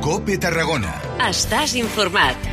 COPE Tarragona. Estàs informat.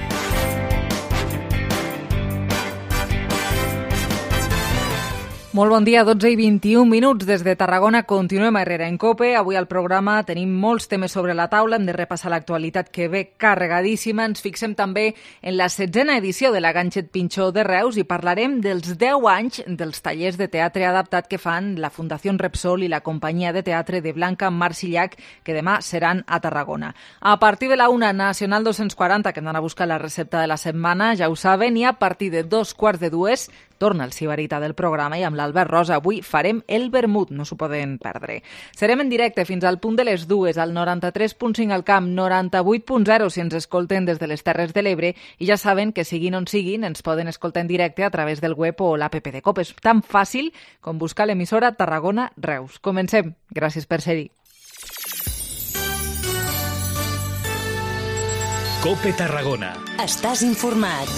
Molt bon dia, 12 i 21 minuts des de Tarragona. Continuem a Herrera en COPE. Avui al programa tenim molts temes sobre la taula. Hem de repassar l'actualitat que ve carregadíssima. Ens fixem també en la 16a edició de la Ganxet Pinxó de Reus i parlarem dels 10 anys dels tallers de teatre adaptat que fan la Fundació Repsol i la companyia de teatre de Blanca Marsillac, que demà seran a Tarragona. A partir de la 1 Nacional 240, que hem d'anar a buscar la recepta de la setmana, ja ho saben, i a partir de 2:45 torna el Sibarita del programa i amb l'Albert Rosa avui farem el vermut, no s'ho poden perdre. Serem en directe fins al punt de les 2, al 93.5 al camp, 98.0 si ens escolten des de les Terres de l'Ebre, i ja saben que siguin on siguin ens poden escoltar en directe a través del web o l'app de COPE. És tan fàcil com buscar l'emissora Tarragona Reus. Comencem. Gràcies per ser-hi. COPE Tarragona. Estàs informat.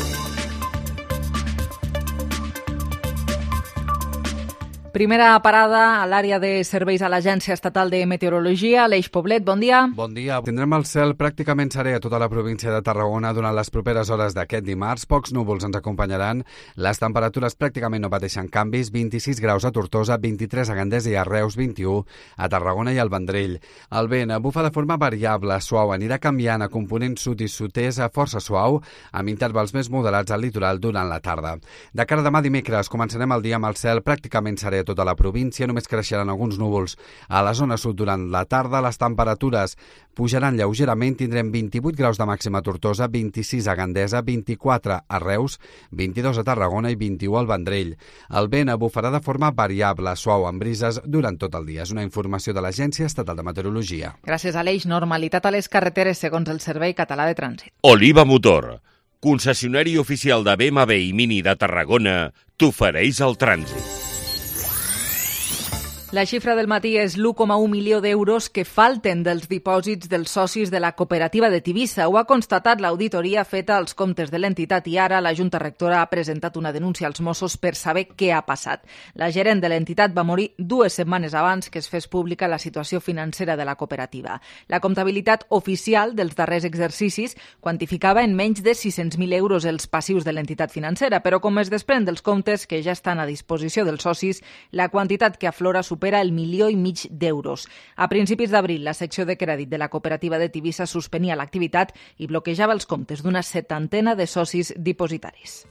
Primera parada a l'àrea de serveis a l'Agència Estatal de Meteorologia. Aleix Poblet, bon dia. Bon dia. Tindrem el cel pràcticament serè a tota la província de Tarragona durant les properes hores d'aquest dimarts. Pocs núvols ens acompanyaran. Les temperatures pràcticament no pateixen canvis. 26 graus a Tortosa, 23 a Gandesa i a Reus, 21 a Tarragona i al Vendrell. El vent bufa de forma variable, suau, anirà canviant a component sud i sud-est a força suau, amb intervals més moderats al litoral durant la tarda. De cara a demà dimecres començarem el dia amb el cel pràcticament serè a tota la província, només creixeran alguns núvols. A la zona sud durant la tarda les temperatures pujaran lleugerament, tindrem 28 graus de màxima a Tortosa, 26 a Gandesa, 24 a Reus, 22 a Tarragona i 21 al Vendrell. El vent bufarà de forma variable, suau, amb brises durant tot el dia. És una informació de l'Agència Estatal de Meteorologia. Gràcies, Aleix. Normalitat a les carreteres segons el Servei Català de Trànsit. Oliva Motor, concessionari oficial de BMW i Mini de Tarragona, t'ofereix el trànsit. La xifra del matí és l'1,1 milió d'euros que falten dels dipòsits dels socis de la cooperativa de Tivissa. Ho ha constatat l'auditoria feta als comptes de l'entitat i ara la Junta Rectora ha presentat una denúncia als Mossos per saber què ha passat. La gerent de l'entitat va morir 2 setmanes abans que es fes pública la situació financera de la cooperativa. La comptabilitat oficial dels darrers exercicis quantificava en menys de 600.000 euros els passius de l'entitat financera, però com es desprèn dels comptes que ja estan a disposició dels socis, la quantitat que aflora supera el 1,5 milió d'euros. A principis d'abril, la secció de crèdit de la cooperativa de Tivissa suspenia l'activitat i bloquejava els comptes d'una 70ena de socis dipositaris.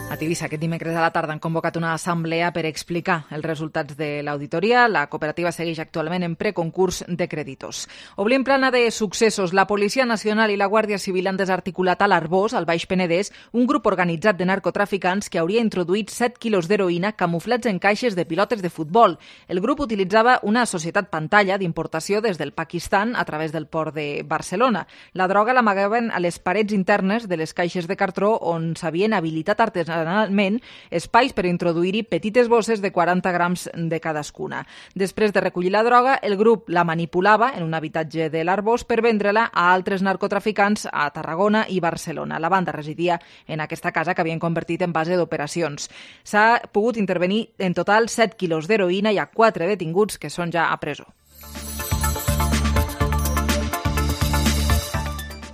A Tivissa aquest dimecres a la tarda han convocat una assemblea per explicar els resultats de l'auditoria. La cooperativa segueix actualment en preconcurs de creditors. Obrim plana de successos. La Policia Nacional i la Guàrdia Civil han desarticulat a l'Arboç, al Baix Penedès, un grup organitzat de narcotraficants que hauria introduït 7 quilos d'heroïna camuflats en caixes de pilotes de futbol. El grup utilitzava una societat pantalla d'importació des del Pakistan a través del port de Barcelona. La droga l'amagaven a les parets internes de les caixes de cartró on s'havien habilitat artesanalment espais per introduir-hi petites bosses de 40 grams de cadascuna. Després de recollir la droga, el grup la manipulava en un habitatge de l'Arboç per vendre-la a altres narcotraficants a Tarragona i Barcelona. La banda residia en aquesta casa que havien convertit en base d'operacions. S'ha pogut intervenir en total 7 quilos d'heroïna i hi ha 4 detinguts que són ja a presó.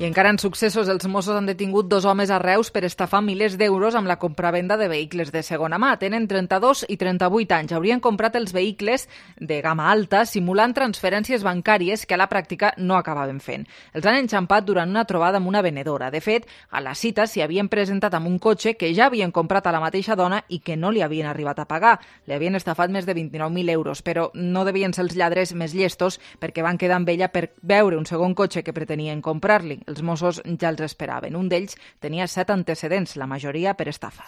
I encara en successos, els Mossos han detingut 2 homes a Reus per estafar milers d'euros amb la compravenda de vehicles de segona mà. Tenen 32 i 38 anys. Haurien comprat els vehicles de gamma alta simulant transferències bancàries que a la pràctica no acabaven fent. Els han enxampat durant una trobada amb una venedora. De fet, a la cita s'hi havien presentat amb un cotxe que ja havien comprat a la mateixa dona i que no li havien arribat a pagar. Li havien estafat més de 29.000 euros, però no devien ser els lladres més llestos perquè van quedar amb ella per veure un segon cotxe que pretenien comprar-li. Els Mossos ja els esperaven. Un d'ells tenia 7 antecedents, la majoria per estafa.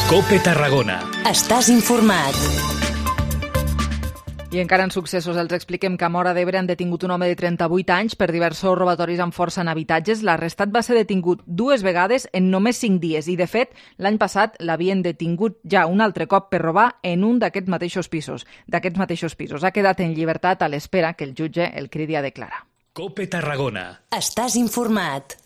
COPE Tarragona. Estàs informat. I encara en successos els expliquem que a Móra d'Ebre han detingut un home de 38 anys per diversos robatoris amb força en habitatges. L'arrestat va ser detingut 2 vegades en només 5 dies i, de fet, l'any passat l'havien detingut ja un altre cop per robar en un d'aquests mateixos pisos. Ha quedat en llibertat a l'espera que el jutge el cridi a declarar. COPE Tarragona. Estàs informat.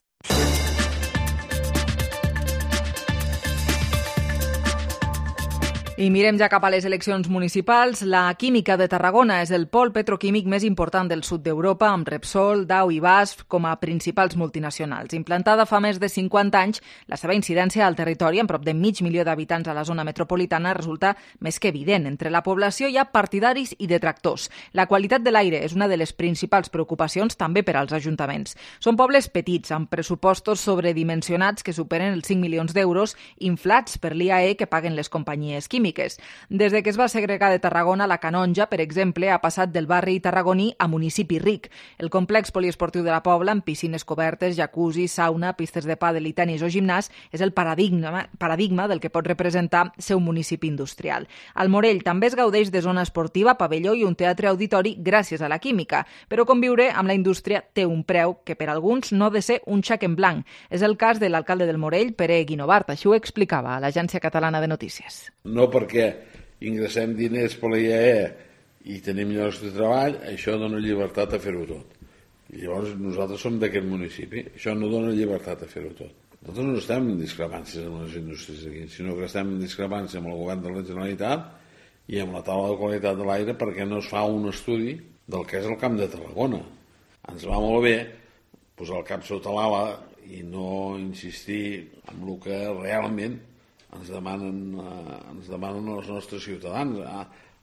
I mirem ja cap a les eleccions municipals. La química de Tarragona és el pol petroquímic més important del sud d'Europa, amb Repsol, Dow i BASF com a principals multinacionals. Implantada fa més de 50 anys, la seva incidència al territori, amb prop de 500.000 d'habitants a la zona metropolitana, resulta més que evident. Entre la població hi ha partidaris i detractors. La qualitat de l'aire és una de les principals preocupacions també per als ajuntaments. Són pobles petits, amb pressupostos sobredimensionats que superen els 5 milions d'euros, inflats per l'IAE que paguen les companyies químiques. Des de que es va segregar de Tarragona, la Canonja, per exemple, ha passat del barri tarragoní a municipi ric. El complex poliesportiu de la Pobla, amb piscines cobertes, jacuzzi, sauna, pistes de pàdel i tenis o gimnàs, és el paradigma del que pot representar ser un municipi industrial. Al Morell també es gaudeix de zona esportiva, pavelló i un teatre auditori gràcies a la química, però conviure amb la indústria té un preu que per alguns no ha de ser un xec en blanc. És el cas de l'alcalde del Morell, Pere Guinovart. Així ho explicava a l'Agència Catalana de Notícies. No perquè ingressem diners per la IAE i tenim llocs de treball, això dona llibertat a fer-ho tot. I llavors nosaltres som d'aquest municipi, això no dona llibertat a fer-ho tot. Nosaltres no estem en discrepàncies amb les indústries aquí, sinó que estem en discrepància amb el govern de la Generalitat i amb la taula de qualitat de l'aire perquè no es fa un estudi del que és el Camp de Tarragona. Ens va molt bé posar el cap sota l'ala i no insistir en el que realment ens demanen els nostres ciutadans.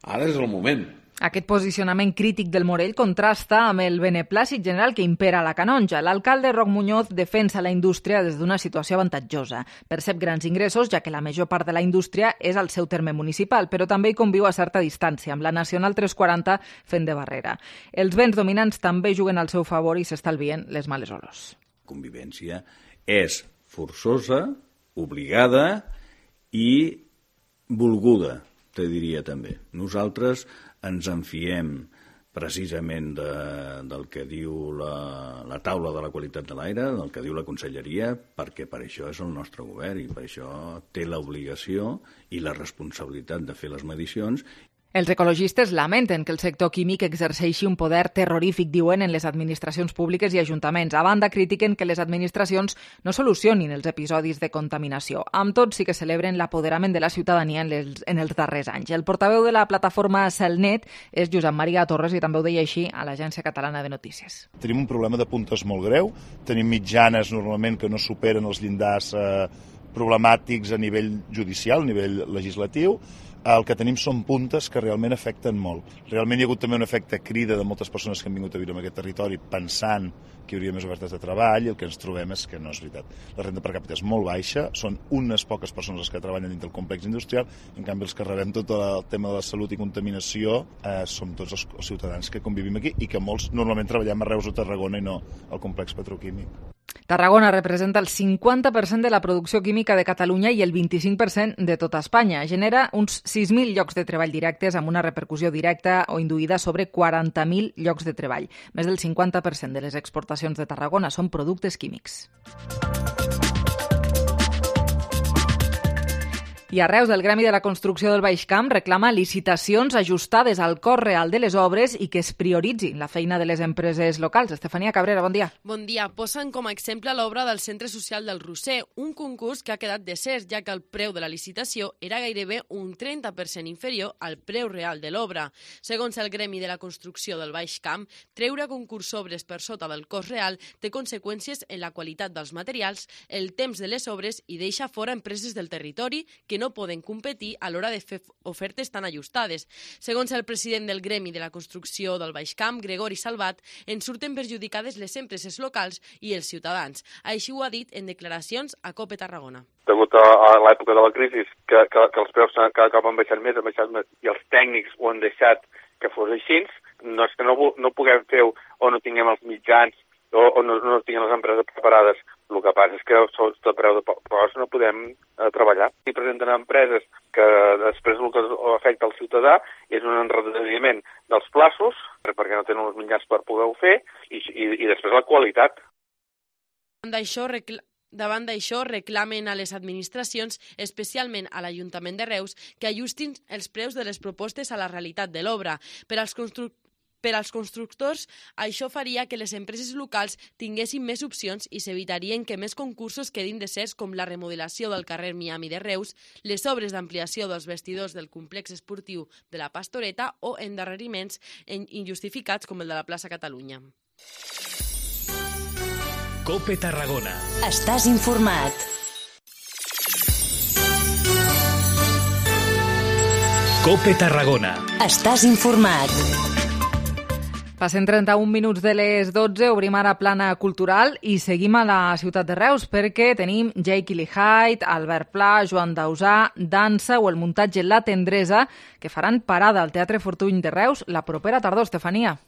Ara és el moment. Aquest posicionament crític del Morell contrasta amb el beneplàcit general que impera a la Canonja. L'alcalde Roc Muñoz defensa la indústria des d'una situació avantatjosa. Percep grans ingressos, ja que la major part de la indústria és al seu terme municipal, però també hi conviu a certa distància, amb la Nacional 340 fent de barrera. Els vents dominants també juguen al seu favor i s'estalvien les males olors. Convivència és forçosa, obligada i volguda, te diria també. Nosaltres ens enfiem precisament del que diu la taula de la qualitat de l'aire, del que diu la conselleria, perquè per això és el nostre govern i per això té l'obligació i la responsabilitat de fer les medicions. Els ecologistes lamenten que el sector químic exerceixi un poder terrorífic, diuen, en les administracions públiques i ajuntaments. A banda, critiquen que les administracions no solucionin els episodis de contaminació. Amb tot, sí que celebren l'apoderament de la ciutadania en els darrers anys. El portaveu de la plataforma Celnet és Josep Maria Torres i també ho deia així a l'Agència Catalana de Notícies. Tenim un problema de puntes molt greu, tenim mitjanes normalment que no superen els llindars problemàtics a nivell judicial, a nivell legislatiu. El que tenim són puntes que realment afecten molt. Realment hi ha hagut també un efecte crida de moltes persones que han vingut a viure en aquest territori pensant que hi hauria més ofertes de treball i el que ens trobem és que no és veritat. La renda per càpita és molt baixa, són unes poques persones les que treballen dins del complex industrial, en canvi els que rebem tot el tema de la salut i contaminació som tots els ciutadans que convivim aquí i que molts normalment treballem a Reus o Tarragona i no al complex petroquímic. Tarragona representa el 50% de la producció química de Catalunya i el 25% de tota Espanya. Genera uns 6.000 llocs de treball directes amb una repercussió directa o induïda sobre 40.000 llocs de treball. Més del 50% de les exportacions de Tarragona són productes químics. I a Reus, el Gremi de la Construcció del Baix Camp reclama licitacions ajustades al cost real de les obres i que es prioritzi la feina de les empreses locals. Estefania Cabrera, bon dia. Bon dia. Posen com a exemple l'obra del Centre Social del Roser, un concurs que ha quedat desert, ja que el preu de la licitació era gairebé un 30% inferior al preu real de l'obra. Segons el Gremi de la Construcció del Baix Camp, treure a concurs obres per sota del cost real té conseqüències en la qualitat dels materials, el temps de les obres i deixa fora empreses del territori que no poden competir a l'hora de fer ofertes tan ajustades. Segons el president del Gremi de la Construcció del Baix Camp, Gregori Salvat, en surten perjudicades les empreses locals i els ciutadans. Així ho ha dit en declaracions a COPE Tarragona. Degut a l'època de la crisi, que els preus cada cop han baixat més, i els tècnics ho han deixat que fos així, no és que no puguem fer o no tinguem els mitjans o no tinguem les empreses preparades. El que passa és que sota preu de cost no podem treballar. I presenten empreses que després el que afecta al ciutadà és un endarreriment dels plaços, perquè no tenen els mitjans per poder-ho fer, i després la qualitat. Davant d'això, reclamen a les administracions, especialment a l'Ajuntament de Reus, que ajustin els preus de les propostes a la realitat de l'obra. Per als Per als constructors, això faria que les empreses locals tinguessin més opcions i s'evitarien que més concursos quedin deserts com la remodelació del carrer Miami de Reus, les obres d'ampliació dels vestidors del complex esportiu de la Pastoreta o endarreriments injustificats com el de la plaça Catalunya. COPE Tarragona. Estàs informat. COPE Tarragona. Estàs informat. Passen 31 minuts de les 12, obrim ara plana cultural i seguim a la ciutat de Reus perquè tenim Jake Hyde, Albert Pla, Joan Dausà, dansa o el muntatge La Tendresa que faran parada al Teatre Fortuny de Reus la propera tardor, Estefania.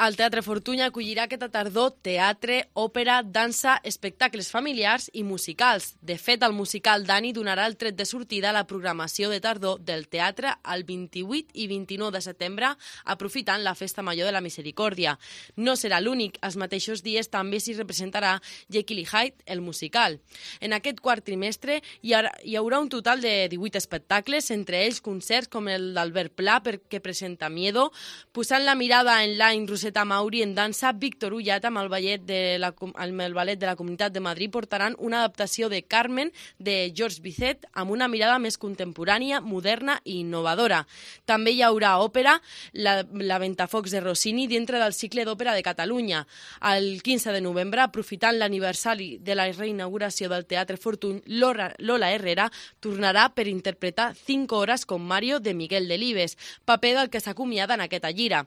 El Teatre Fortuny acollirà aquesta tardor teatre, òpera, dansa, espectacles familiars i musicals. De fet, el musical Dani donarà el tret de sortida a la programació de tardor del teatre el 28 i 29 de setembre, aprofitant la Festa Major de la Misericòrdia. No serà l'únic, els mateixos dies també s'hi representarà Jekyll i Hyde, el musical. En aquest quart trimestre hi haurà un total de 18 espectacles, entre ells concerts com el d'Albert Pla, que presenta Miedo, posant la mirada en l'any Roseta Mauri en dansa, Víctor Ullat amb el ballet de la Comunitat de Madrid portaran una adaptació de Carmen de Georges Bizet amb una mirada més contemporània, moderna i innovadora. També hi haurà òpera, la Ventafocs de Rossini dintre del cicle d'òpera de Catalunya. El 15 de novembre, aprofitant l'aniversari de la reinauguració del Teatre Fortuny, Lola Herrera tornarà per interpretar 5 hores com Mario de Miguel Delibes, paper del que s'acomiada en aquesta gira.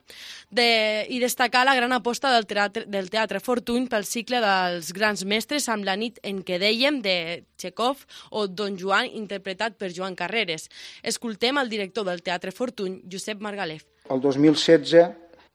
I destacar la gran aposta del Teatre Fortuny pel cicle dels grans mestres amb La nit en què dèiem de Txekov o Don Joan interpretat per Joan Carreres. Escoltem el director del Teatre Fortuny, Josep Margalef. El 2016,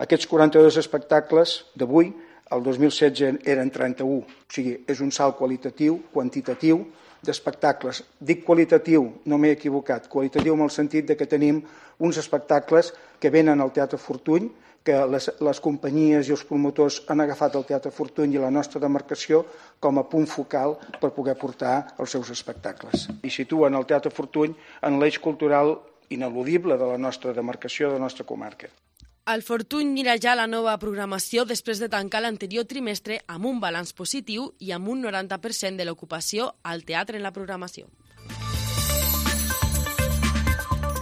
aquests 42 espectacles d'avui, el 2016 eren 31, o sigui, és un salt qualitatiu, quantitatiu, d'espectacles. Dic qualitatiu, no m'he equivocat, qualitatiu en el sentit de que tenim uns espectacles que venen al Teatre Fortuny, que les companyies i els promotors han agafat el Teatre Fortuny i la nostra demarcació com a punt focal per poder portar els seus espectacles. I situen el Teatre Fortuny en l'eix cultural ineludible de la nostra demarcació, de la nostra comarca. El Fortuny mira ja la nova programació després de tancar l'anterior trimestre amb un balanç positiu i amb un 90% de l'ocupació al teatre en la programació.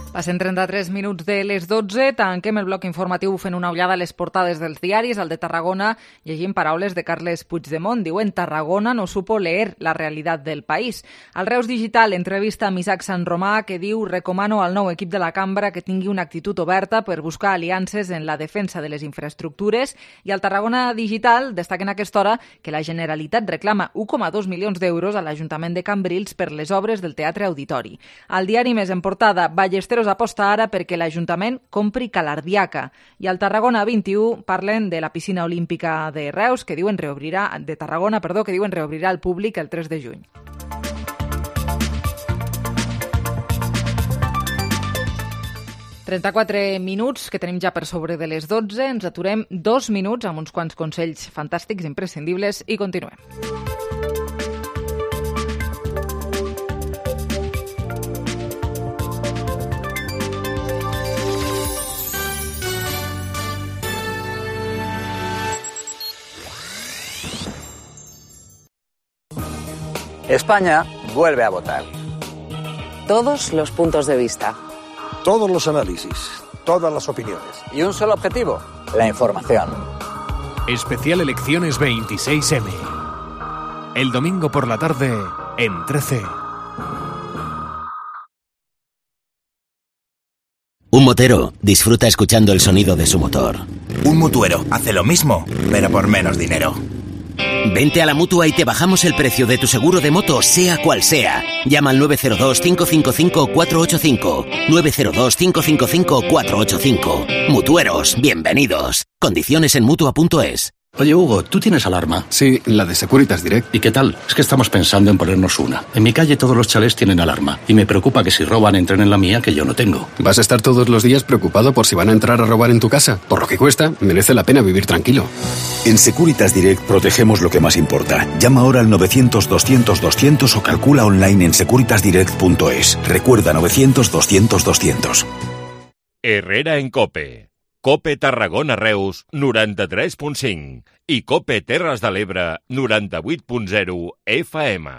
Passen 33 minuts de les 12, tanquem el bloc informatiu fent una ullada a les portades dels diaris. Al de Tarragona llegim paraules de Carles Puigdemont. Diuen: Tarragona no supo leer la realitat del país. Al Reus Digital entrevista amb Isaac Sant Romà, que diu: recomano al nou equip de la cambra que tingui una actitud oberta per buscar aliances en la defensa de les infraestructures. I al Tarragona Digital destaquen a aquesta hora que la Generalitat reclama 1,2 milions d'euros a l'Ajuntament de Cambrils per les obres del Teatre Auditori. Al diari Més en portada, Ballesteros aposta ara perquè l'Ajuntament compri Calardiaca. I al Tarragona 21 parlen de la piscina olímpica de Reus, que diuen reobrirà al públic el 3 de juny. ...34 minuts, que tenim ja per sobre de les 12. Ens aturem 2 minuts amb uns quants consells fantàstics, imprescindibles, i continuem. España vuelve a votar. Todos los puntos de vista. Todos los análisis, todas las opiniones. Y un solo objetivo, la información. Especial Elecciones 26M. El domingo por la tarde en 13. Un motero disfruta escuchando el sonido de su motor. Un mutuero hace lo mismo, pero por menos dinero. Vente a la Mutua y te bajamos el precio de tu seguro de moto, sea cual sea. Llama al 902-555-485. 902-555-485. Mutueros, bienvenidos. Condiciones en Mutua.es. Oye, Hugo, ¿tú tienes alarma? Sí, la de Securitas Direct. ¿Y qué tal? Es que estamos pensando en ponernos una. En mi calle todos los chalés tienen alarma y me preocupa que si roban entren en la mía, que yo no tengo. ¿Vas a estar todos los días preocupado por si van a entrar a robar en tu casa? Por lo que cuesta, merece la pena vivir tranquilo. En Securitas Direct protegemos lo que más importa. Llama ahora al 900-200-200 o calcula online en securitasdirect.es. Recuerda 900-200-200. Herrera en COPE. COPE Tarragona Reus 93.5 i COPE Terres de l'Ebre 98.0 FM.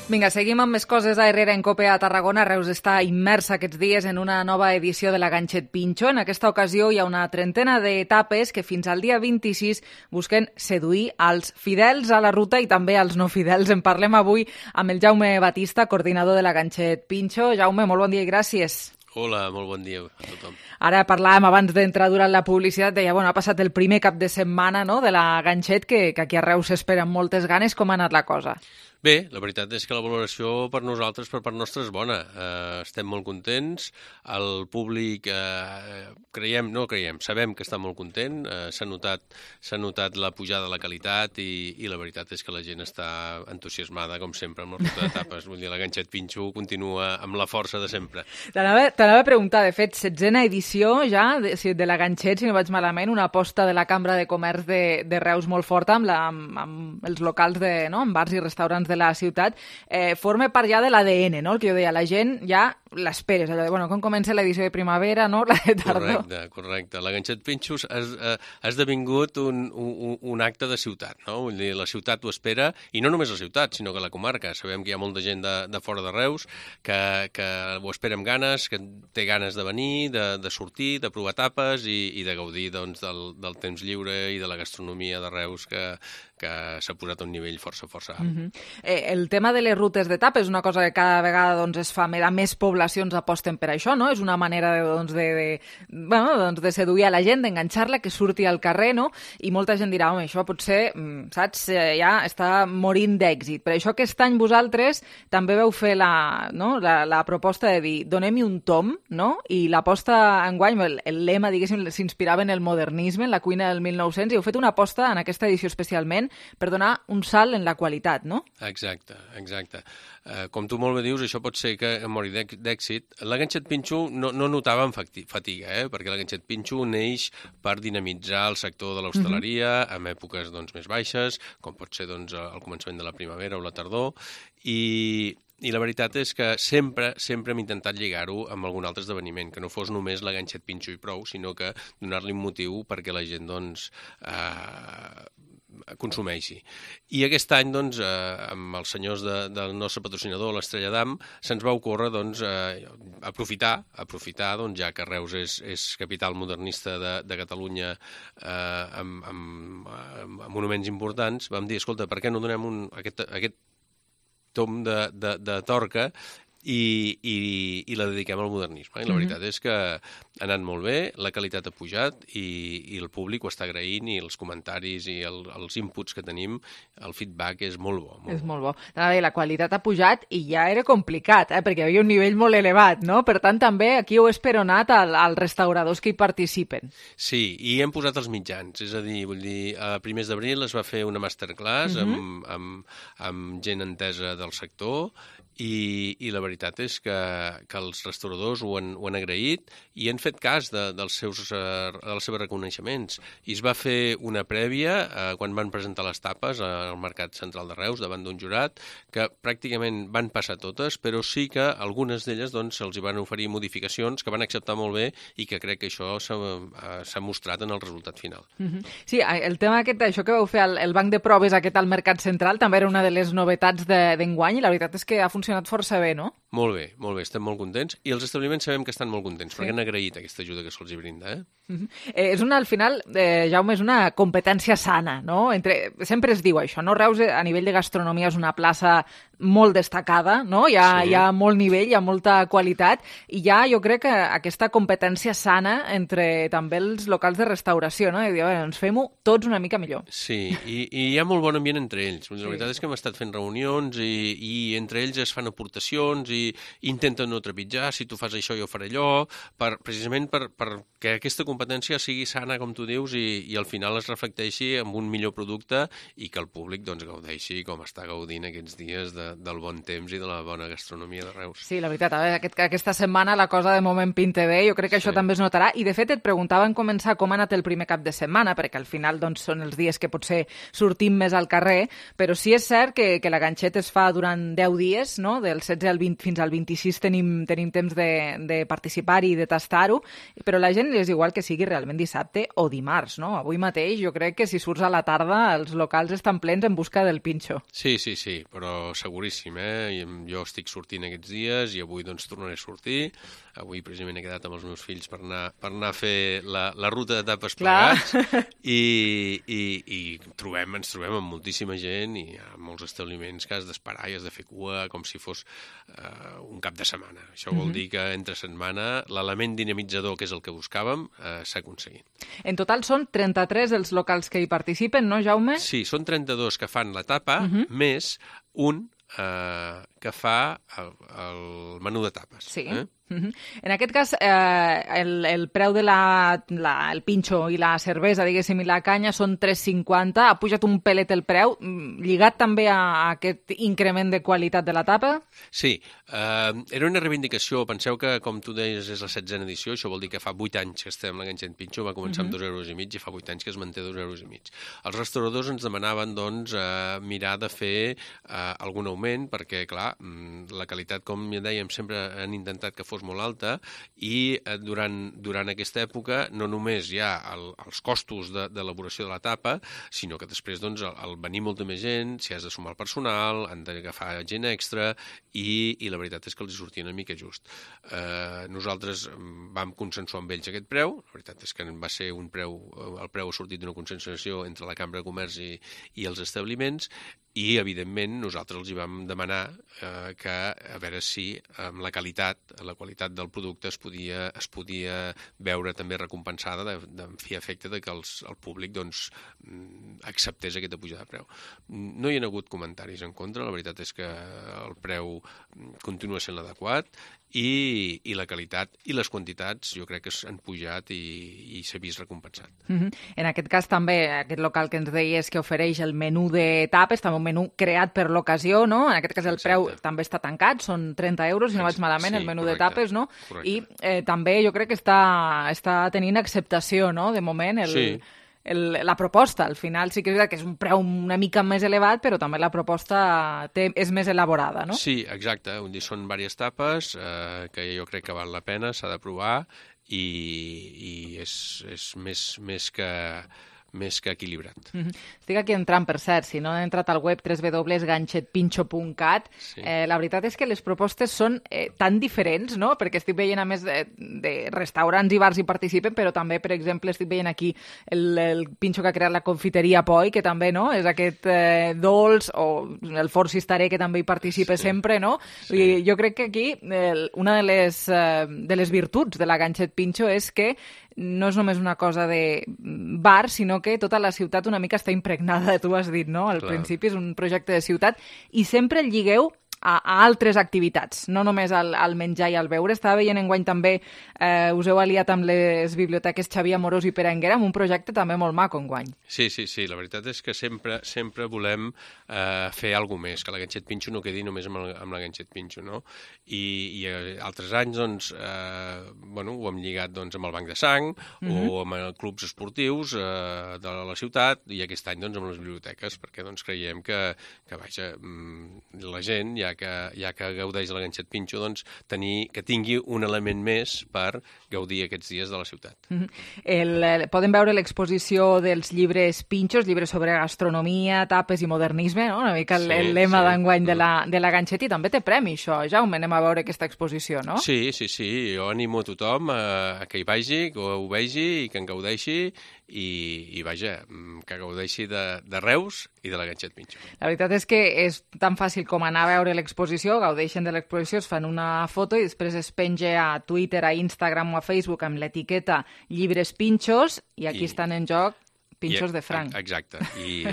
Vinga, seguim amb més coses a Herrera en COPE a Tarragona. Reus està immersa aquests dies en una nova edició de la Ganxet Pinxo. En aquesta ocasió hi ha una trentena d'etapes que fins al dia 26 busquen seduir als fidels a la ruta i també als no fidels. En parlem avui amb el Jaume Batista, coordinador de la Ganxet Pinxo. Jaume, molt bon dia i gràcies. Hola, molt bon dia a tothom. Ara parlàvem abans d'entrar durant la publicitat, deia, ha passat el primer cap de setmana de la Ganxet, que aquí a Reus s'espera amb moltes ganes. Com ha anat la cosa? Bé, la veritat és que la valoració per nosaltres, per part nostra, és bona. Estem molt contents, el públic sabem que està molt content, s'ha notat la pujada de la qualitat i la veritat és que la gent està entusiasmada, com sempre, amb la ruta d'etapes. Vull dir, la Ganxet Pinxo continua amb la força de sempre. T'anava a preguntar, de fet, 16a edició ja de la Ganxet, si no vaig malament, una aposta de la Cambra de Comerç de Reus molt forta amb els locals amb bars i restaurants de la ciutat, forma part ja de l'ADN, no? El que jo deia, la gent ja l'esperes, allò de, com comença l'edició de primavera, no? La de tardor. Correcte. La Ganxet Pinxo ha esdevingut un acte de ciutat, no? Vull dir, la ciutat ho espera, i no només la ciutat, sinó que la comarca. Sabem que hi ha molta gent de fora de Reus que ho espera amb ganes, que té ganes de venir, de sortir, de provar tapes i de gaudir del temps lliure i de la gastronomia de Reus que s'ha posat a un nivell força alt. El tema de les rutes d'etapa és una cosa que cada vegada es fa, més poblacions aposten per això, no? És una manera de seduir a la gent, d'enganxar-la, que surti al carrer, no? I molta gent dirà, això potser, saps, ja està morint d'èxit. Per això aquest any vosaltres també veu fer la proposta de dir, donem-hi un tom, no? I l'aposta enguany, el lema, diguéssim, s'inspirava en el modernisme, en la cuina del 1900, i heu fet una aposta en aquesta edició especialment per donar un salt en la qualitat, no? Exacte. Com tu molt bé dius, això pot ser que mori d'èxit. La Ganxet Pinxo no notàvem fatiga, perquè la Ganxet Pinxo neix per dinamitzar el sector de l'hostaleria en èpoques més baixes, com pot ser al començament de la primavera o la tardor, i la veritat és que sempre hem intentat lligar-ho amb algun altre esdeveniment, que no fos només la Ganxet Pinxo i prou, sinó que donar-li un motiu perquè la gent consumeixi. I aquest any, amb els senyors del nostre patrocinador, l'Estrella d'Am, se'ns va ocórrer aprofitar, ja que Reus és capital modernista de Catalunya amb monuments importants, vam dir, escolta, per què no donem aquest tom de torca i la dediquem al modernisme. I la veritat és que ha anat molt bé, la qualitat ha pujat i el públic ho està agraint, i els comentaris i els inputs que tenim, el feedback és molt bo. És molt bo. La qualitat ha pujat i ja era complicat, perquè hi havia un nivell molt elevat, no? Per tant, també aquí heu esperonat als restauradors que hi participen. Sí, i hem posat els mitjans, és a dir, a primers d'abril es va fer una masterclass amb gent entesa del sector, i la veritat és que els restauradors ho han agraït i han fet cas dels seus reconeixements. I es va fer una prèvia quan van presentar les tapes al Mercat Central de Reus davant d'un jurat, que pràcticament van passar totes, però sí que algunes d'elles se'ls van oferir modificacions que van acceptar molt bé i que crec que això s'ha mostrat en el resultat final. Sí, el tema això que vau fer el banc de proves aquest al Mercat Central també era una de les novetats d'enguany, i la veritat és que ha funcionat força bé, no? Molt bé, estem molt contents, i els establiments sabem que estan molt contents, perquè han agraït aquesta ajuda que se'ls brinda. Al final, Jaume, és una competència sana, no? Sempre es diu això, no? Reus, a nivell de gastronomia, és una plaça molt destacada, no? Hi ha molt nivell, hi ha molta qualitat, i jo crec que aquesta competència sana entre també els locals de restauració, no? I dir, ens fem-ho tots una mica millor. Sí, i hi ha molt bon ambient entre ells. La veritat és que hem estat fent reunions i entre ells es fan aportacions i intenta no trepitjar, si tu fas això jo faré allò, precisament perquè aquesta competència sigui sana, com tu dius, i al final es reflecteixi en un millor producte i que el públic doncs, gaudeixi com està gaudint aquests dies del bon temps i de la bona gastronomia de Reus. Sí, la veritat, aquesta setmana la cosa de moment pinta bé, jo crec que això també es notarà, i de fet et preguntava en començar com ha anat el primer cap de setmana, perquè al final doncs, són els dies que potser sortim més al carrer, però sí és cert que la ganxet es fa durant 10 dies, no? Del 16 al 20 fins al 26 tenim temps de participar-hi i de tastar-ho, però la gent és igual que sigui realment dissabte o dimarts, no? Avui mateix jo crec que si surts a la tarda els locals estan plens en busca del pinxo. Sí, però seguríssim, Jo estic sortint aquests dies i avui doncs tornaré a sortir. Avui precisament he quedat amb els meus fills per anar a fer la ruta de tapes plegats i ens trobem amb moltíssima gent i hi ha molts establiments que has d'esperar i has de fer cua com si fos un cap de setmana. Això vol dir que entre setmana l'element dinamitzador, que és el que buscàvem, s'ha aconseguit. En total són 33 els locals que hi participen, no, Jaume? Sí, són 32 que fan la tapa, més un que fa el menú de tapes. Sí. En aquest cas, el preu de el pinxo i la cervesa, diguéssim, i la canya són 3,50. Ha pujat un pelet el preu, lligat també a aquest increment de qualitat de la tapa? Sí, era una reivindicació. Penseu que, com tu deies, és la 16a edició, això vol dir que fa 8 anys que estem amb la ganxet pinxo, va començar amb 2,5 € i fa 8 anys que es manté 2,5 €. Els restauradors ens demanaven, doncs, mirar de fer algun augment, perquè, clar, la qualitat, com ja dèiem, sempre han intentat que fos molt alta i durant aquesta època no només hi ha els costos d'elaboració de la tapa, sinó que després doncs, al venir molta més gent, si has de sumar el personal, han d'agafar gent extra i la veritat és que els sortia una mica just. Nosaltres vam consensuar amb ells aquest preu, la veritat és que va ser el preu ha sortit d'una consensuació entre la Cambra de Comerç i els establiments i, evidentment, nosaltres els hi vam demanar que a veure si amb la qualitat del producte es podia veure també recompensada de fi efecte de que el públic doncs, acceptés aquesta pujada de preu. No hi ha hagut comentaris en contra, la veritat és que el preu continua sent l'adequat i la qualitat i les quantitats jo crec que han pujat i s'ha vist recompensat. En aquest cas també aquest local que ens deies que ofereix el menú de tapes, també un menú creat per l'ocasió, no? En aquest cas el preu també està tancat, són 30 €, si no vaig malament, el menú de tapes, no? I també jo crec que està tenint acceptació, no? De moment, la proposta. Al final sí que és veritat que és un preu una mica més elevat, però també la proposta és més elaborada, no? Sí, exacte. Són diverses tapes que jo crec que val la pena, s'ha de provar i és més que equilibrat. Estic aquí entrant, per cert, si no he entrat al web www.ganxetpinxo.cat, la veritat és que les propostes són tan diferents, no? Perquè estic veient, a més, de restaurants i bars hi participen, però també, per exemple, estic veient aquí el pinxo que ha creat la confiteria Poi, que també, no?, és aquest dolç, o el Forn Cisterè, que també hi participa sempre, no? I jo crec que aquí una de les virtuts de la Ganxet Pinxo és que no és només una cosa de bar, sinó que tota la ciutat una mica està impregnada, tu has dit, no? Al principi és un projecte de ciutat i sempre el lligueu a altres activitats, no només al menjar i al beure. Estava veient enguany també, us heu aliat amb les biblioteques Xavier Amorós i Pere Anguera amb un projecte també molt maco enguany. Sí, la veritat és que sempre volem fer alguna més, que la Ganxet Pinxo no quedi només amb la Ganxet Pinxo, no? I altres anys, doncs, ho hem lligat doncs, amb el Banc de Sang o amb clubs esportius de la ciutat i aquest any doncs, amb les biblioteques, perquè doncs, creiem que la gent, ja que gaudeix de la Ganxet Pinxo, doncs, que tingui un element més per gaudir aquests dies de la ciutat. Poden veure l'exposició dels llibres pinxos, llibres sobre gastronomia, tapes i modernisme, no? Una mica el lema d'enguany de la Ganxet, i també té premi, això, Jaume, anem a veure aquesta exposició, no? Sí, jo animo a tothom a que hi vagi, que ho vegi i que en gaudeixi i vaja, que gaudeixi de Reus i de la Ganxet Pinxo. La veritat és que és tan fàcil com anar a veure l'exposició, gaudeixen de l'exposició, es fan una foto i després es penja a Twitter, a Instagram o a Facebook amb l'etiqueta Llibres Pinxos i aquí estan en joc pinxos de franc. Exacte. I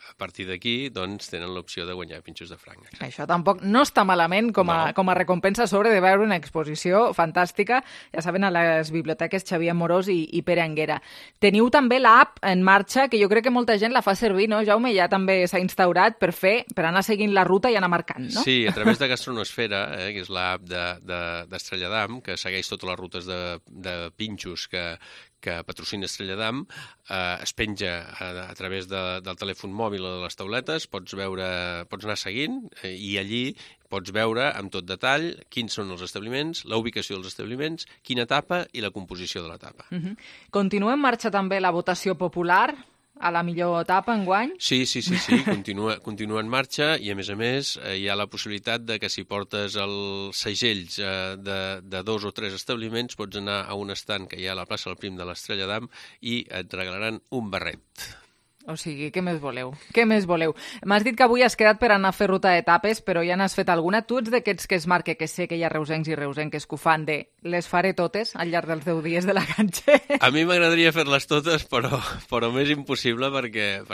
a partir d'aquí, doncs, tenen l'opció de guanyar pinxos de franc. Exacte. Això tampoc no està malament com a recompensa sobre de veure una exposició fantàstica, ja saben, a les biblioteques Xavier Amorós i Pere Anguera. Teniu també l'app en marxa, que jo crec que molta gent la fa servir, no, Jaume? Ja també s'ha instaurat per anar seguint la ruta i anar marcant, no? Sí, a través de Gastronosfera, que és l'app d'Estrella d'Am, que segueix totes les rutes de pinxos que patrocina Estrella d'Am, es penja a través del telèfon mòbil o de les tauletes, pots anar seguint i allí pots veure amb tot detall quins són els establiments, la ubicació dels establiments, quina etapa i la composició de l'etapa. Continua en marxa també la votació popular a la millor etapa enguany? Sí, continua en marxa i, a més, hi ha la possibilitat de que si portes els segells de 2 o 3 establiments pots anar a un estand que hi ha a la plaça del Prim de l'Estrella d'Am i et regalaran un barret. O sigui, què més voleu? Què més voleu? M'has dit que avui has quedat per anar a fer ruta d'etapes, però ja n'has fet alguna. Tu ets d'aquests que es marca, que sé que hi ha reusencs i reusenques que ho fan de les faré totes al llarg dels 10 dies de la Ganxet. A mi m'agradaria fer-les totes, però m'és impossible perquè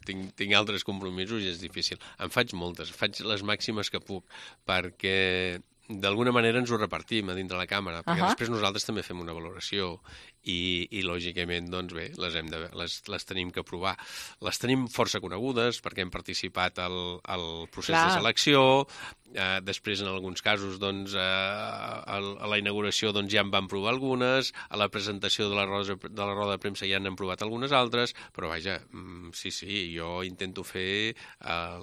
tinc altres compromisos i és difícil. En faig moltes, faig les màximes que puc, perquè d'alguna manera ens ho repartim a dintre la càmera, perquè després nosaltres també fem una valoració i lògicament, doncs bé, les tenim que provar. Les tenim força conegudes perquè hem participat al procés de selecció, després en alguns casos doncs a la inauguració doncs ja en van provar algunes, a la presentació de la roda de premsa ja n'han provat algunes altres, però vaja, sí, jo intento fer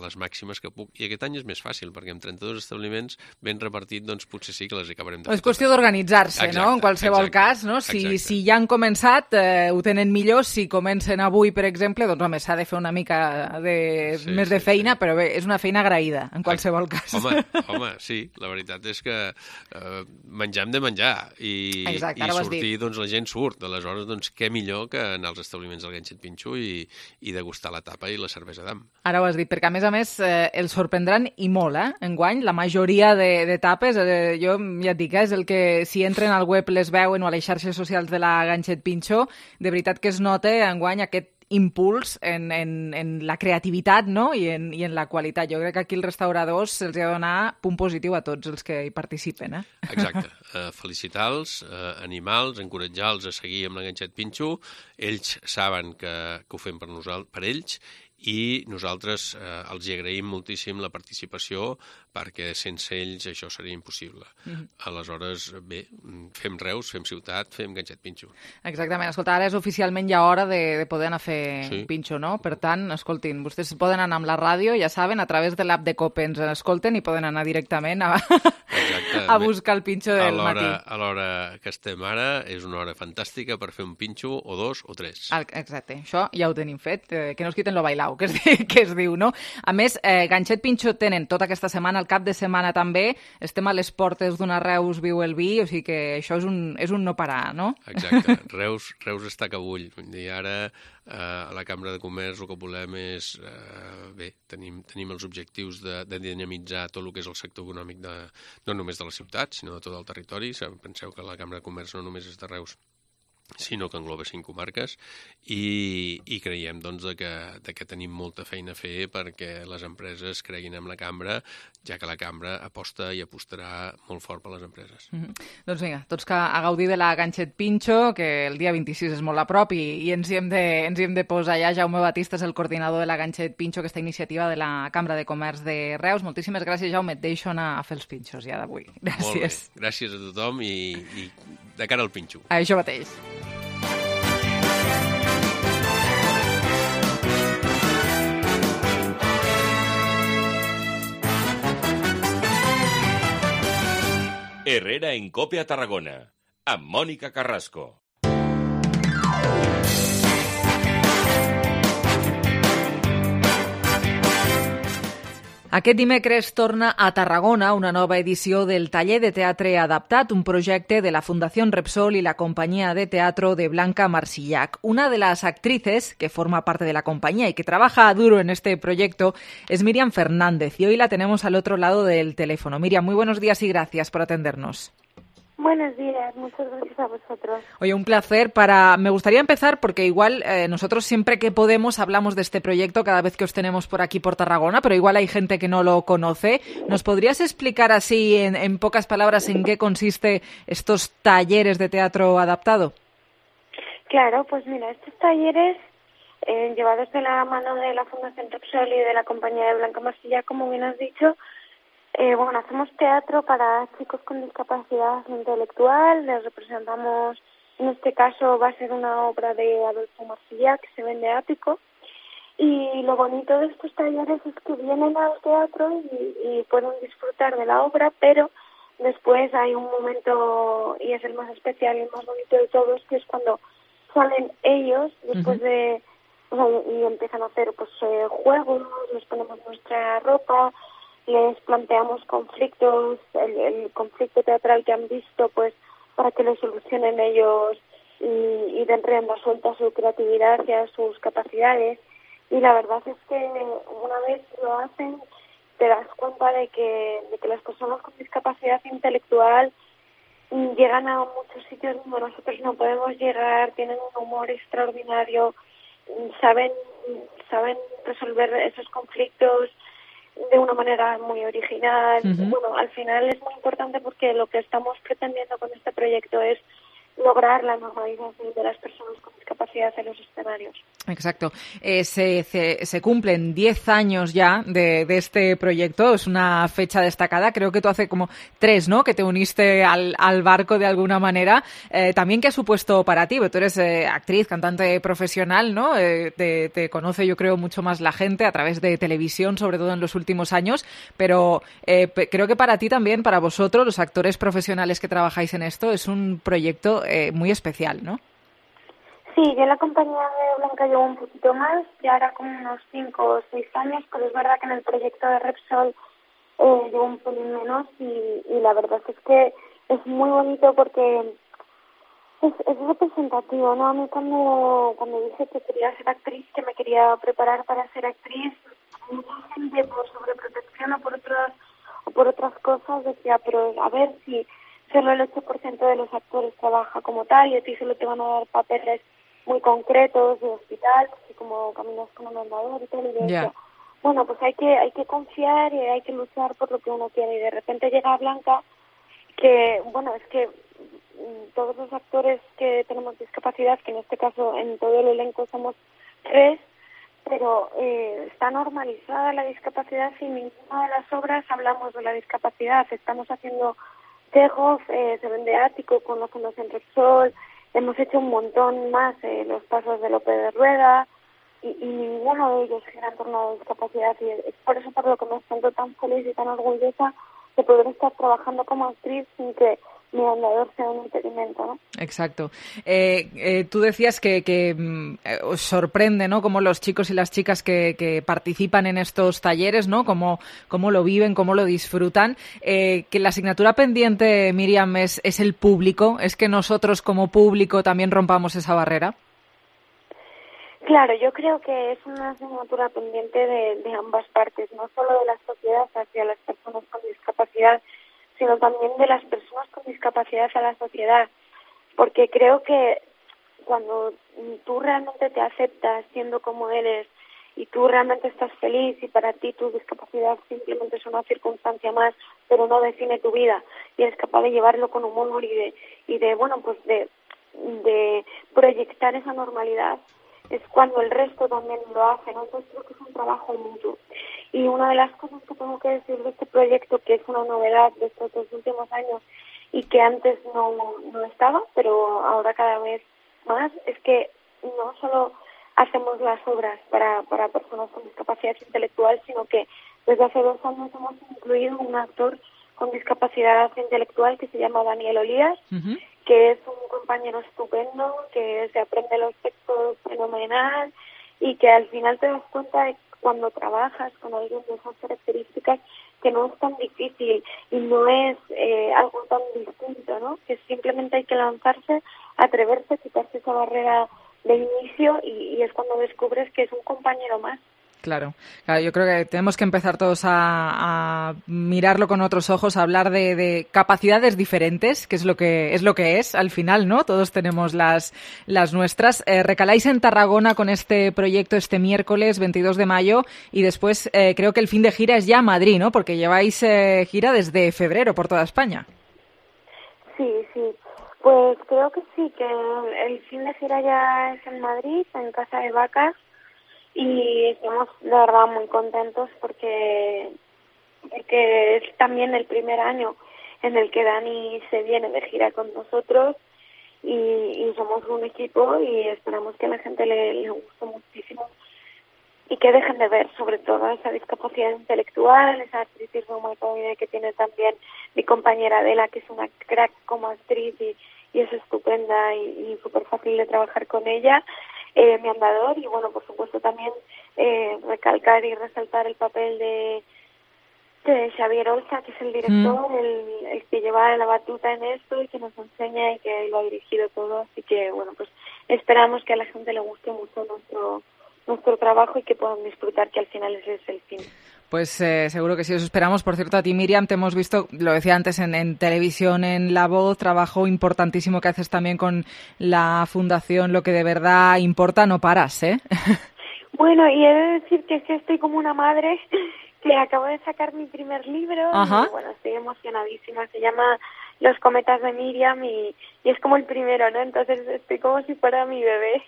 les màximes que puc, i aquest any és més fàcil perquè amb 32 establiments ben repartit doncs potser sí que les acabarem de fer. És qüestió d'organitzar-se, no? En qualsevol cas, no? Si ja han començat, ho tenen millor. Si comencen avui, per exemple, doncs home, s'ha de fer una mica més de feina, però bé, és una feina agraïda, en qualsevol cas. Home, sí, la veritat és que menjar hem de menjar i sortir, doncs la gent surt. Aleshores, doncs què millor que anar als establiments del Ganxet Pinxo i degustar la tapa i la cervesa d'Am. Ara ho has dit, perquè a més els sorprendran i molt, enguany. La majoria de tapes, jo ja et dic, és el que si entren al web les veuen o a les xarxes socials de la Ganxet Pinxo, de veritat que es nota enguany aquest impuls en la creativitat, no? I en la qualitat. Jo crec que aquí els restauradors se'ls ha de donar punt positiu a tots els que hi participen. Exacte. Felicitar-los, animar-los, encoratjar-los a seguir amb la Ganxet Pinxo. Ells saben que ho fem per ells i nosaltres els hi agraïm moltíssim la participació perquè sense ells això seria impossible. Aleshores, bé, fem Reus, fem ciutat, fem Ganxet Pinxo. Exactament. Escolta, ara és oficialment ja hora de poder anar a fer pinxo, no? Per tant, escoltin, vostès poden anar amb la ràdio, ja saben, a través de l'app de COPE ens escolten i poden anar directament a buscar el pinxo del matí. A l'hora que estem ara és una hora fantàstica per fer un pinxo o 2 o 3. Exacte. Això ja ho tenim fet. Que no es quiten lo bailau, que es diu, no? A més, Ganxet Pinxo tenen tota aquesta setmana, el cap de setmana també, estem a les portes d'una Reus viu el vi, o sigui que això és un no parar, no? Exacte. Reus està que bull. I ara a la Cambra de Comerç el que volem és, bé, tenim els objectius de dinamitzar tot el que és el sector econòmic no només de la ciutat, sinó de tot el territori. Penseu que la Cambra de Comerç no només és de Reus, sinó que engloba 5 comarques i creiem doncs, que tenim molta feina a fer perquè les empreses creguin en la cambra, ja que la cambra aposta i apostarà molt fort per les empreses. Doncs vinga, tots a gaudir de la Ganxet Pinxo, que el dia 26 és molt a prop i ens hi hem de posar ja. Jaume Batista és el coordinador de la Ganxet Pinxo, aquesta iniciativa de la Cambra de Comerç de Reus. Moltíssimes gràcies, Jaume. Et deixo anar a fer els pinxos ja d'avui. Gràcies. Molt bé. Gràcies a tothom i de cara al pinxo. Això mateix. Herrera en Cope a Tarragona, amb Mònica Carrasco. Aquest dimecres torna a Tarragona una nova edició del Taller de Teatre Adaptat, un projecte de la Fundación Repsol y la compañía de teatro de Blanca Marsillac. Una de las actrices que forma parte de la compañía y que trabaja duro en este proyecto es Miriam Fernández y hoy la tenemos al otro lado del teléfono. Miriam, muy buenos días y gracias por atendernos. Buenos días, muchas gracias a vosotros. Oye, un placer. Me gustaría empezar porque igual nosotros siempre que podemos hablamos de este proyecto cada vez que os tenemos por aquí por Tarragona, pero igual hay gente que no lo conoce. ¿Nos podrías explicar así en pocas palabras en qué consiste estos talleres de teatro adaptado? Claro, pues mira, estos talleres llevados de la mano de la Fundación Repsol y de la compañía de Blanca Marsilla, como bien has dicho, hacemos teatro para chicos con discapacidad intelectual, les representamos, en este caso va a ser una obra de Adolfo Marsilla que se vende ático, y lo bonito de estos talleres es que vienen al teatro y pueden disfrutar de la obra, pero después hay un momento, y es el más especial y el más bonito de todos, que es cuando salen ellos, después de, y empiezan a hacer pues juegos, les ponemos nuestra ropa, les planteamos conflictos, el conflicto teatral que han visto, pues para que lo solucionen ellos y den rienda suelta a su creatividad y a sus capacidades. Y la verdad es que una vez lo hacen, te das cuenta de que las personas con discapacidad intelectual llegan a muchos sitios donde nosotros no podemos llegar, tienen un humor extraordinario, saben resolver esos conflictos de una manera muy original. Bueno, al final es muy importante porque lo que estamos pretendiendo con este proyecto es lograr la normalización de las personas con discapacidad en los escenarios. Exacto. Se cumplen 10 años ya de este proyecto, es una fecha destacada, creo que tú hace como 3, ¿no?, que te uniste al barco de alguna manera. También, ¿qué ha supuesto para ti? Porque tú eres actriz, cantante profesional, ¿no? Te conoce, yo creo, mucho más la gente a través de televisión, sobre todo en los últimos años, pero creo que para ti también, para vosotros, los actores profesionales que trabajáis en esto, es un proyecto muy especial, ¿no? Sí, yo en la compañía de Blanca llevo un poquito más, ya ahora como unos 5 o 6 años, pero es verdad que en el proyecto de Repsol llevo un pelín menos y la verdad es que es muy bonito porque es representativo, ¿no? A mí cuando dije que quería ser actriz, que me quería preparar para ser actriz, mucha gente por sobreprotección o por otras cosas decía, pero a ver si solo el 8% de los actores trabaja como tal y a ti solo te van a dar papeles muy concretos de hospital, así como caminas con un andador y tal, y de eso, bueno, pues hay que confiar y hay que luchar por lo que uno quiere, y de repente llega Blanca, que, bueno, es que todos los actores que tenemos discapacidad, que en este caso en todo el elenco somos 3, pero está normalizada la discapacidad y en ninguna de las obras hablamos de la discapacidad. Estamos haciendo Tejos, se vende ático con la Fundación Repsol, hemos hecho un montón más, los pasos de Lope de Rueda, y ninguno de ellos gira en torno a la discapacidad, y es por eso por lo que me siento tan feliz y tan orgullosa de poder estar trabajando como actriz sin que mi andador sea un impedimento, ¿no? Exacto. Tú decías que os sorprende, ¿no?, cómo los chicos y las chicas que participan en estos talleres, ¿no?, cómo lo viven, cómo lo disfrutan. Que la asignatura pendiente, Miriam, es el público. ¿Es que nosotros como público también rompamos esa barrera? Claro, yo creo que es una asignatura pendiente de ambas partes, no solo de la sociedad hacia las personas con discapacidad, sino también de las personas con discapacidad a la sociedad, porque creo que cuando tú realmente te aceptas siendo como eres y tú realmente estás feliz y para ti tu discapacidad simplemente es una circunstancia más, pero no define tu vida, y eres capaz de llevarlo con humor y de bueno, pues de proyectar esa normalidad, es cuando el resto también lo hace, ¿no? Entonces creo que es un trabajo mutuo. Y una de las cosas que tengo que decir de este proyecto, que es una novedad de estos 2 últimos años y que antes no estaba, pero ahora cada vez más, es que no solo hacemos las obras para personas con discapacidad intelectual, sino que desde hace 2 años hemos incluido un actor con discapacidad intelectual que se llama Daniel Olías, que es un compañero estupendo, que se aprende los textos fenomenal y que al final te das cuenta de cuando trabajas con alguien de esas características que no es tan difícil y no es algo tan distinto, ¿no? Que simplemente hay que lanzarse, atreverse, quitarse esa barrera de inicio y es cuando descubres que es un compañero más. Claro, yo creo que tenemos que empezar todos a mirarlo con otros ojos, a hablar de capacidades diferentes, que es lo que es al final, ¿no? Todos tenemos las nuestras. Recaláis en Tarragona con este proyecto este miércoles 22 de mayo y después creo que el fin de gira es ya Madrid, ¿no? Porque lleváis gira desde febrero por toda España. Sí. Pues creo que sí, que el fin de gira ya es en Madrid, en Casa de Vacas. Y estamos de verdad muy contentos porque es también el primer año en el que Dani se viene de gira con nosotros y somos un equipo y esperamos que a la gente le guste muchísimo y que dejen de ver sobre todo esa discapacidad intelectual, esa artritis reumatoide que tiene también mi compañera Adela, que es una crack como actriz y es estupenda y súper fácil de trabajar con ella. Mi andador y bueno, por supuesto también recalcar y resaltar el papel de Xavier Olza, que es el director, el que lleva la batuta en esto y que nos enseña y que lo ha dirigido todo, así que bueno, pues esperamos que a la gente le guste mucho nuestro trabajo y que puedan disfrutar, que al final ese es el fin. Pues seguro que sí, os esperamos. Por cierto, a ti, Miriam, te hemos visto, lo decía antes, en televisión, en La Voz, trabajo importantísimo que haces también con la Fundación Lo que de verdad importa, no paras, ¿eh? Bueno, y he de decir que estoy como una madre que acabo de sacar mi primer libro. Ajá. Y bueno, estoy emocionadísima. Se llama Los cometas de Miriam y es como el primero, ¿no? Entonces estoy como si fuera mi bebé.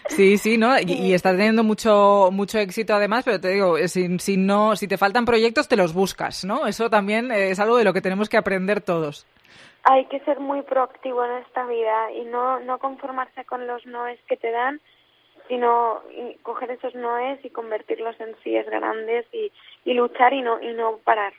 Sí, ¿no? Y estás teniendo mucho éxito además, pero te digo, si te faltan proyectos te los buscas, ¿no? Eso también es algo de lo que tenemos que aprender todos. Hay que ser muy proactivo en esta vida y no conformarse con los noes que te dan, sino coger esos noes y convertirlos en síes grandes y luchar y no parar.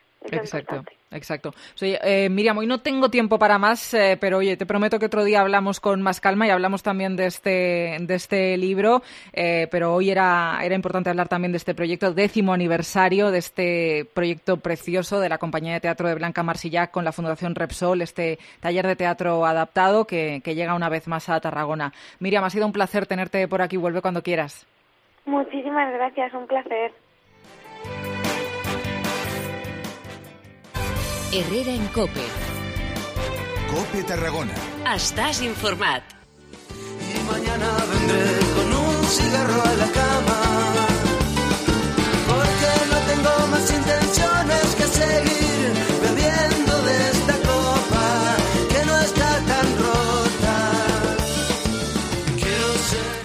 Exacto. Oye, Miriam, hoy no tengo tiempo para más, pero oye, te prometo que otro día hablamos con más calma y hablamos también de este libro, pero hoy era importante hablar también de este proyecto, 10º aniversario de este proyecto precioso de la compañía de teatro de Blanca Marsillac con la Fundación Repsol, este taller de teatro adaptado que llega una vez más a Tarragona. Miriam, ha sido un placer tenerte por aquí, vuelve cuando quieras. Muchísimas gracias, un placer. Herrera en COPE. COPE Tarragona. Estás informat. Y mañana vendré con un cigarro a la cama, porque no tengo más intenciones que seguir bebiendo de esta copa que no está tan rota. Quiero ser...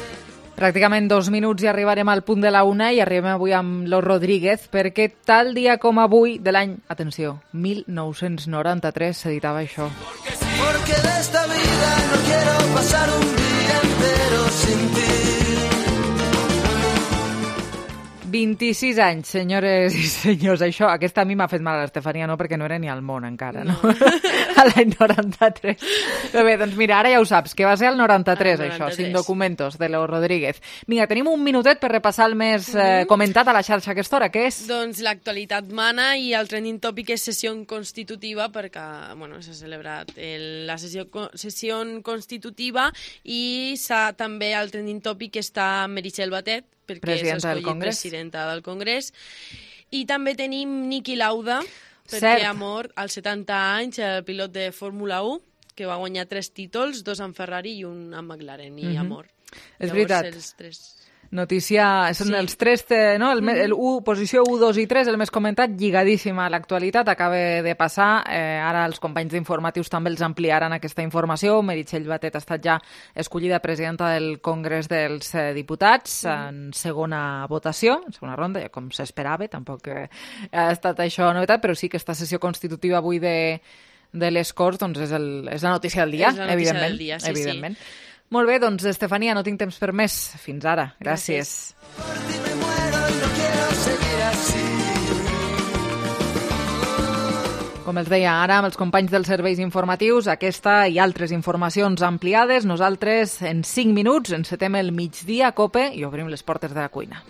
Pràcticament 2 minuts i arribarem al punt de la 1 i arribem avui amb Los Rodríguez perquè tal dia com avui de l'any, atenció, 1993 s'editava això. Porque de esta vida no quiero pasar un día entero sin ti. 26 anys, senyores i senyors. Aquesta a mi m'ha fet mal a l'Estefania, no, perquè no era ni al món encara, no? A l'any 93. Però bé, doncs mira, ara ja ho saps, que va ser el 93, això, Sin documentos, de Los Rodríguez. Vinga, tenim un minutet per repassar el més comentat a la xarxa a aquesta hora, què és? Doncs l'actualitat mana i el trending topic és sessió constitutiva, perquè s'ha celebrat la sessió constitutiva i també el trending topic està Meritxell Batet, perquè s'ha escollit presidenta del Congrés. I també tenim Niki Lauda, perquè ha mort als 70 anys, el pilot de Fórmula 1, que va guanyar 3 títols, 2 amb Ferrari i un amb McLaren, i ha mort. És veritat. Notícia, són els 3, no? Posició 1, 2 i 3, el més comentat, lligadíssima a l'actualitat, acaba de passar. Ara els companys d'informatius també els ampliaran aquesta informació. Meritxell Batet ha estat ja escollida presidenta del Congrés dels Diputats en segona votació, en segona ronda, ja com s'esperava, tampoc ha estat això novetat, però sí que aquesta sessió constitutiva avui de les Corts doncs és la notícia del dia, evidentment. Evidentment. Molt bé, doncs, Estefania, no tinc temps per més. Fins ara. Gràcies. Com els deia ara, amb els companys dels serveis informatius, aquesta i altres informacions ampliades. Nosaltres, en 5 minuts, encetem el migdia a COPE i obrim les portes de la cuina.